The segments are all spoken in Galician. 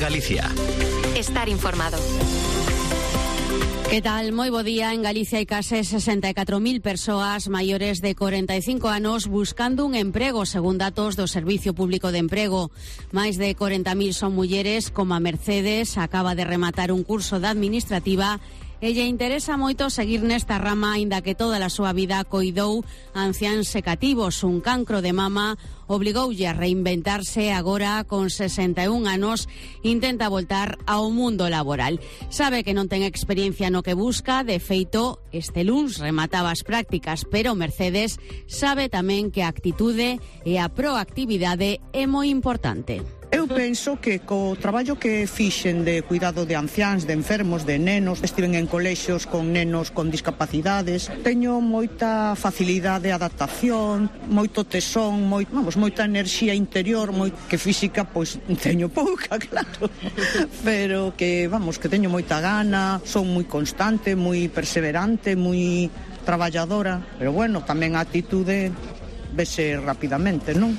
Galicia. Estar informado. Que tal? Moi bo día. En Galicia hai case 64.000 persoas maiores de 45 anos buscando un emprego, según datos do Servicio Público de Emprego. Máis de 40.000 son mulleres, como a Mercedes, acaba de rematar un curso de administrativa e lle interesa moito seguir nesta rama, aínda que toda a súa vida coidou anciáns e cativos. Un cancro de mama obligoulle a reinventarse. Agora, con 61 anos, intenta voltar ao mundo laboral. Sabe que non ten experiencia no que busca. De feito, este luns remataba as prácticas, pero Mercedes sabe tamén que a actitude e a proactividade é moi importante. Eu penso que co traballo que fixen de cuidado de anciáns, de enfermos, de nenos, estiven en colexios con nenos con discapacidades, teño moita facilidade de adaptación, moito tesón, moita enerxía interior, que física pois teño pouca, claro, pero que teño moita gana, son moi constante, moi perseverante, moi traballadora, pero tamén a actitude vese rapidamente, non?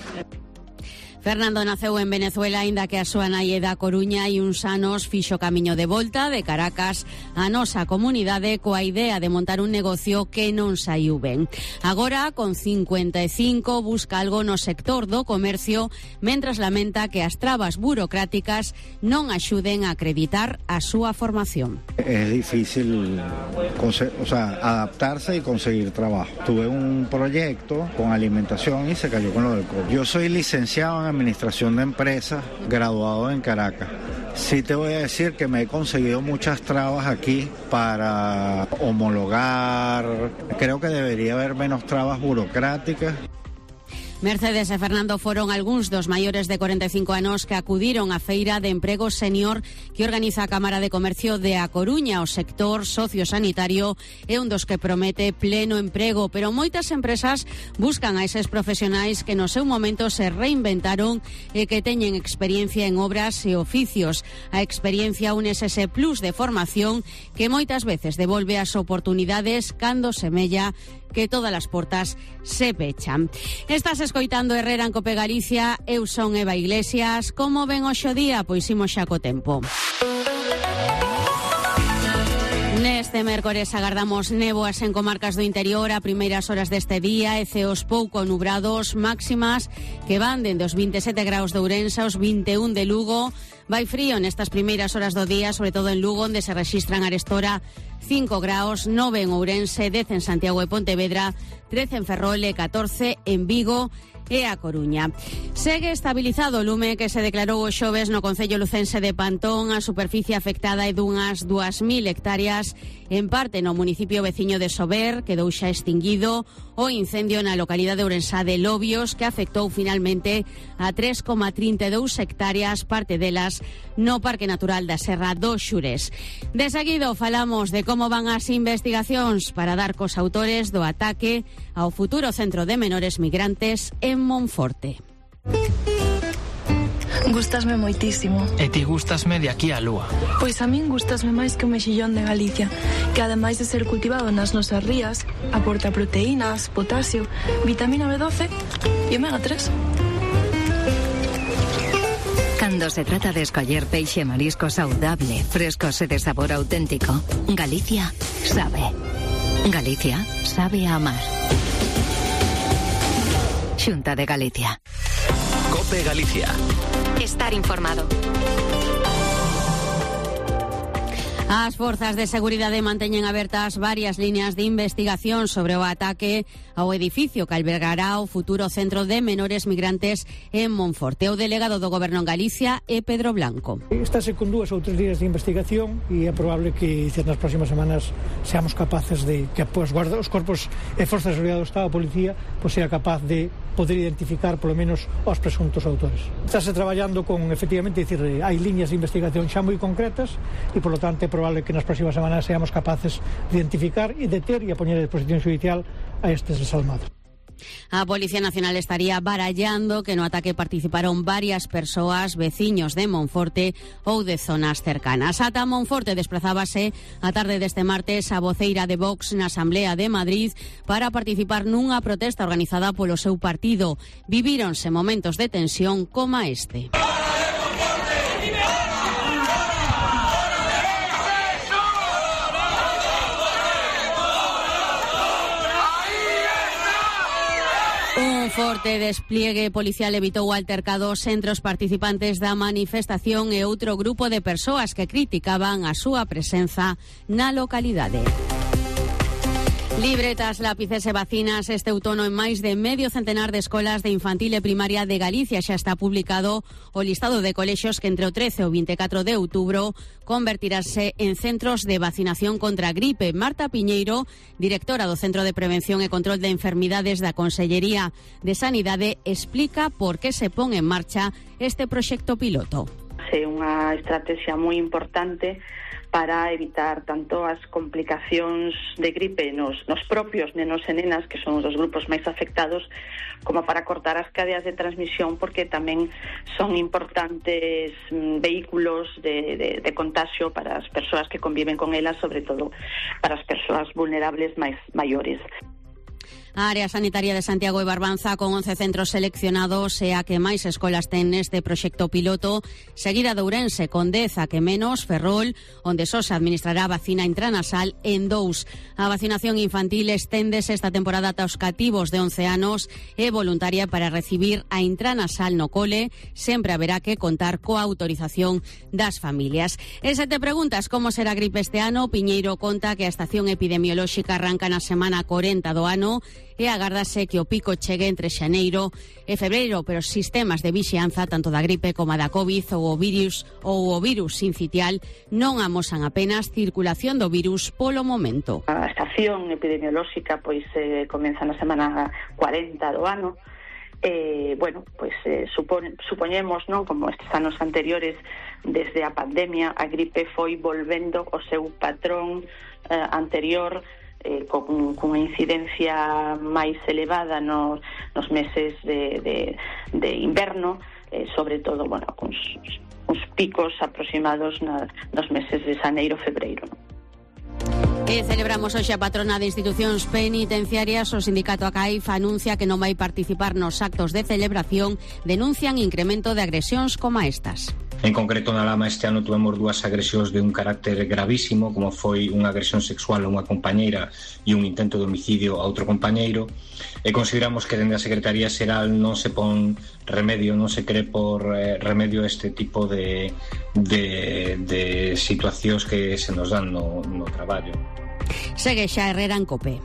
Fernando naceu en Venezuela, aínda que a súa nai é da Coruña, e uns anos fixo camiño de volta de Caracas á nosa comunidade coa idea de montar un negocio que non saiu ben. Agora, con 55, busca algo no sector do comercio, mentras lamenta que as trabas burocráticas non axuden a acreditar a súa formación. Es difícil adaptarse y conseguir trabajo. Tuve un proyecto con alimentación y se cayó con lo del COVID. Yo soy licenciado en Administración de Empresas, graduado en Caracas. Sí te voy a decir que me he conseguido muchas trabas aquí para homologar. Creo que debería haber menos trabas burocráticas. Mercedes e Fernando foron algúns dos maiores de 45 anos que acudiron á Feira de Emprego Senior que organiza a Cámara de Comercio de A Coruña. O sector sociosanitario é un dos que promete pleno emprego, pero moitas empresas buscan a eses profesionais que no seu momento se reinventaron e que teñen experiencia en obras e oficios. A experiencia unes ese plus de formación que moitas veces devolve as oportunidades cando semella que todas as portas se pechan. Estás escoitando Herrera en Cope Galicia. Eu son Eva Iglesias. Como ven hoxe o día? Pois imos xa co tempo. Neste mércores agardamos néboas en comarcas do interior a primeiras horas deste día e ceos pouco nubrados, máximas que van dende os 27 graus de Ourense aos 21 de Lugo. Vai frío nestas primeiras horas do día, sobre todo en Lugo, onde se rexistran arestora 5 graus, 9 en Ourense, 10 en Santiago e Pontevedra, 13 en Ferrol e 14 en Vigo e A Coruña. Segue estabilizado o lume que se declarou o xoves no concello lucense de Pantón. A superficie afectada é dunhas 2.000 hectáreas, en parte no municipio veciño de Sober, quedou xa extinguido o incendio na localidade ourensá de Lobios, que afectou finalmente a 3,32 hectáreas, parte delas no Parque Natural da Serra do Xurés. De seguido falamos de como van as investigacións para dar cos autores do ataque ao futuro centro de menores migrantes en Monforte. Gústasme moitísimo. E ti gústasme de aquí á lúa. Pois a min gústasme máis que o mexillón de Galicia, que ademais de ser cultivado nas nosas rías, aporta proteínas, potasio, vitamina B12 e omega 3. Cando se trata de escoller peixe e marisco saudable, frescos e de sabor auténtico, Galicia sabe. Galicia sabe a amar. Xunta de Galicia. Cope Galicia. Estar informado. As forzas de seguridade manteñen abertas varias líneas de investigación sobre o ataque ao edificio que albergará o futuro centro de menores migrantes en Monforte. O delegado do Goberno en Galicia é Pedro Blanco. Estáse con 2 ou 3 líneas de investigación e é probable que nas próximas semanas seamos capaces de que os corpos e forzas de seguridade do Estado, a policía, sea capaz de poder identificar polo menos os presuntos autores. Estáse traballando con, efectivamente, hai líneas de investigación xa moi concretas e, polo tanto, é probable que nas próximas semanas seamos capaces de identificar e deter e a poñer a disposición judicial a estes desalmados. A Policía Nacional estaría barallando que no ataque participaron varias persoas, veciños de Monforte ou de zonas cercanas. Ata Monforte desplazábase a tarde deste martes a voceira de Vox na Asamblea de Madrid para participar nunha protesta organizada polo seu partido. Vivíronse momentos de tensión como este. forte despliegue policial evitou altercados entre os participantes da manifestación e outro grupo de persoas que criticaban a súa presenza na localidade. Libretas, lápices e vacinas este outono en máis de medio centenar de escolas de infantil e primaria de Galicia. Xa está publicado o listado de colexios que entre o 13 e o 24 de outubro convertirase en centros de vacinación contra a gripe. Marta Piñeiro, directora do Centro de Prevención e Control de Enfermidades da Consellería de Sanidade, explica por que se pon en marcha este proxecto piloto. É unha estrategia moi importante para evitar tanto as complicacións de gripe nos propios nenos e nenas, que son os dos grupos máis afectados, como para cortar as cadeas de transmisión, porque tamén son importantes vehículos de contagio para as persoas que conviven con elas, sobre todo para as persoas vulnerables máis maiores. A área sanitaria de Santiago e Barbanza, con 11 centros seleccionados, é a que máis escolas ten neste proxecto piloto, seguida de Ourense, con 10 a que menos, Ferrol, onde só se administrará vacina intranasal en 2. A vacinación infantil esténdese esta temporada ata os cativos de 11 anos, é voluntaria para recibir a intranasal no cole, sempre haberá que contar coa autorización das familias. E se te preguntas como será a gripe este ano, Piñeiro conta que a estación epidemiolóxica arranca na semana 40 do ano, e agárdase que o pico chegue entre xaneiro e febreiro, pero os sistemas de vixianza tanto da gripe como da COVID ou o virus sincitial non amosan apenas circulación do virus polo momento. A estación epidemiolóxica pois comeza na semana 40 do ano. Supoñemos, non, como estes anos anteriores, desde a pandemia, a gripe foi volvendo o seu patrón anterior, con unha incidencia máis elevada nos meses de inverno, sobre todo, con uns picos aproximados nos meses de xaneiro, febreiro. E celebramos hoxe a patrona de institucións penitenciarias. O sindicato ACAIF anuncia que non vai participar nos actos de celebración, denuncian incremento de agresións como estas. En concreto, na Lama este ano tuvemos 2 agresións de un carácter gravísimo, como foi unha agresión sexual a unha compañeira e un intento de homicidio a outro compañeiro, e consideramos que dende a Secretaría Xeral non se pon remedio, non se cree por remedio a este tipo de situacións que se nos dan no traballo. Segue xa Herrera en COPE.